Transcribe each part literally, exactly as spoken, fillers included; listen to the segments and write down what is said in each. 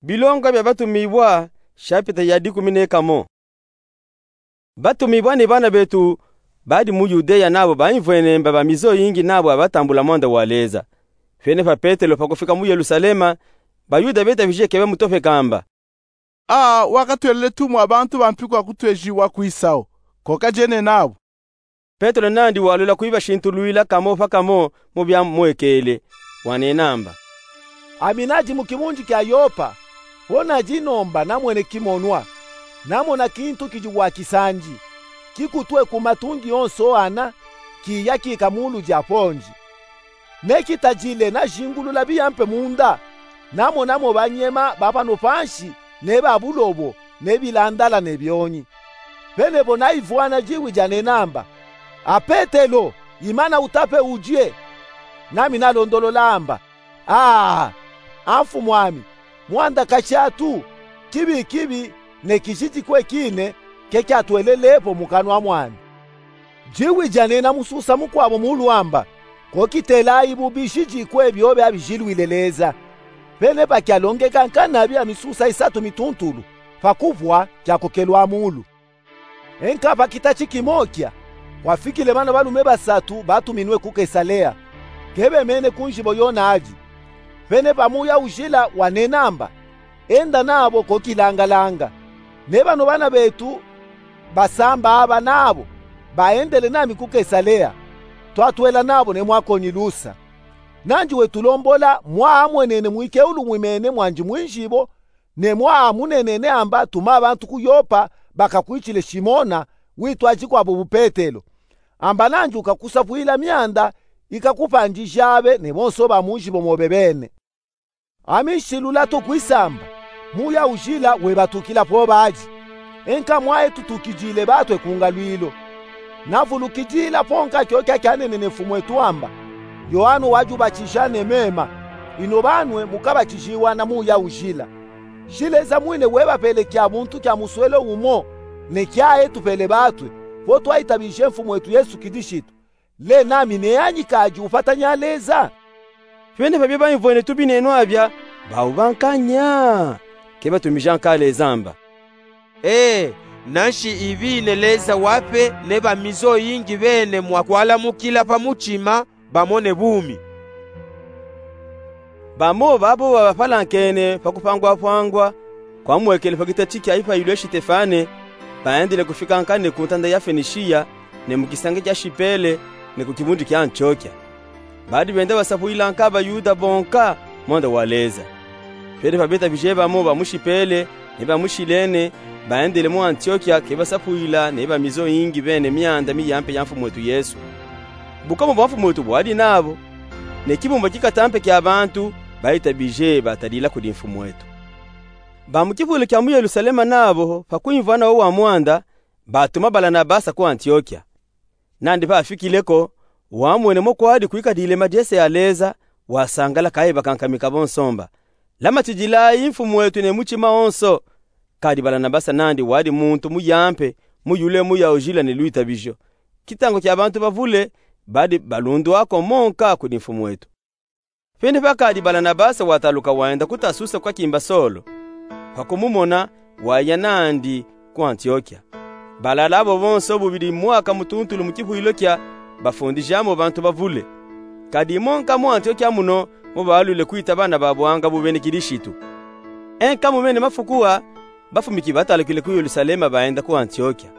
Bilonga bia Batumibua, shapita ya dikumi ne kamo. Batumibua ne bana betu badi mu Yudeya nabo baimvwene mba ba mizo yingi nabo abatambula mwanda wa Leza. Vene pa Petelo pa kufika mu Yelusalema, Bayuda betabije ke bamutofeka mba: A, wakatwelele tumu a bantu bampi kwa kutwejiwa kwisawu, ko kajene nabo. Petelo nandi walwela kwibashintulwila kamo pa kamo mu biamwekele, wanena mba: Ami nadi mu kibundi kia Yopa, po nadi nomba namwene kimonwa. Namona kintu kidi wa kisandi, kikutwe ku matungi onso ana, kiya kika mulu dia pondi. Ne kitadile najingulula biyampe munda, namonamo banyema ba pano pansi, ne ba bulobo, ne bilandala ne bionyi. Vene vo naivwana diwi dianena mba: A Petelo, imana utape udie. Nami nalondolola mba: A, a mfumwami, mwanda katiatu, kibi kibi, ne kizidi kwe kine, ke kiatwelele po mu kanwa mwami. Diwi dianena mususa mukwabo mulu amba, ko kitelayi bubizidi kwe bio biabijilwile Leza. Vene pa kialongeka nkanabi a misusa isatu mituntulu, pa kuvwa kiakokelwa mulu. Enka pa kitati kimo kia, kwafikile bana balume basatu batuminwe ku Kesalea, ke bemene ku nzibo yo nadi. Vene pa muya ujila wanena mba: Enda nabo ko kilangalanga. Ne bano bana betu basamba aba nabo, baendele nami ku Kesalea, twatwela nabo ne mwakoni lusa. Nandi wetulombola mwa amwenene mwikeulu mwimene mwandi mwinzibo, ne mwa amunenene amba tuma bantu ku Yopa bakakwitshile Simona, witwadi kwabo bu Petelo. Amba nandi ukakusapwila mianda ikakupandija abe ne bonso ba munzibo mobe bene. Ami nsilula to kwisamba, muya ujila webatukila po badi. Enka mwaye tutukidile batwe ku ngalwilo. Navulukidila po nka kiokia kianenene Mfumwetu amba: Yoano wadi ubatija ne mema, ino banwe mukabatijiwa na muya ujila. Jileza mwine webapele kia buntu kia muswelo umo, ne kia etu pele batwe, po twayitabije Mfumwetu Yesu Kilishitu. Le nami neyanyi kadi upatanya Leza? Vene pa bia baimvwene tubinenwa abia, bawu bankanya, ke batumija nka Leza mba: E, nanshi ibine Leza wape ne ba mizo yingi bene mwa kwalamukila pa mutima, bamone bumi. Bamo babo babapalankene pa kupangwapangwa kwamwekele pa kitati kia ipayilu ya Sitefane, baendele kufika nka ne ku ntanda ya Fenishiya, ne mu kisanga kia Shipele, ne ku kibundi kia Antiokia. Badi benda basapwila nka Bayuda bonka mwanda wa Leza. Vene pa betabije bamo ba mu Shipele ne ba mu Shilene, baendele mu Antiokia ke basapwila ne ba mizo yingi bene mianda miyampe ya Mfumwetu Yesu. Bukomo bwa Mfumwetu bwadi nabo, ne kibumba kikatampe kia bantu bayitabije batadila kudi Mfumwetu. Ba mu kipwelo kia mu Yelusalema nabo, pa kwimvana wo wa mwanda, batuma Balanabasa ku Antiokia. Nandi pafikile ko, wamwene mo kwadi kwikadile madiesa ya Leza, wasangala kayi bakankamika bonso mba: Lamatidilayi Mfumwetu ne mutima wonso. Kadi Balanabasa nandi wadi muntu muyampe, muyule muya ujila ne lwitabijo. Kitangu kia bantu bavule badi balundwa ko mo nka kudi Mfumwetu. Vene pakadi Balanabasa wataluka wenda ku Tasusa kwa kimba Solo. Pa kumumona, waya nandi ku Antiokia. Balala abo bonso bubidi mwaka mutuntulu mu kipwilo kia bafundija mo bantu bavule. Kadi mo nka mu Antiokia muno mo balwile kwita bana ba bwanga bu bene Kilishitu. Enka mu mene mafuku a, bafumiki batalukile ku Yelusalema baenda ku Antiokia.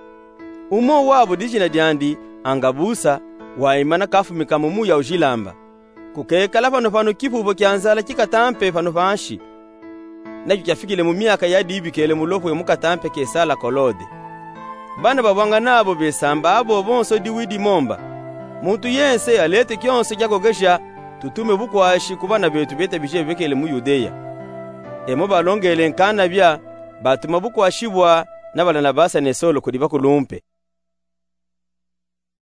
Umo wabo dijina diandi Angabusa, waimana kafumika mu muya ujila mba: Kukekala pano pano kipubo kia nzala kikatampe pano pansi. Nakio kiafikile mu miaka ya dibikele mulopwe mu katampe Kesala Kolode. Bana ba bwanga nabo besamba abo bonso diwidi mo mba: Muntu yense alete kionso kiagogeja, tutume bukwashi ku bana betu betabije bekele mu Yudeya. E mo balongele nkanabia, batuma bukwashi bwa na Balanabasa ne Solo kudi bakulumpe.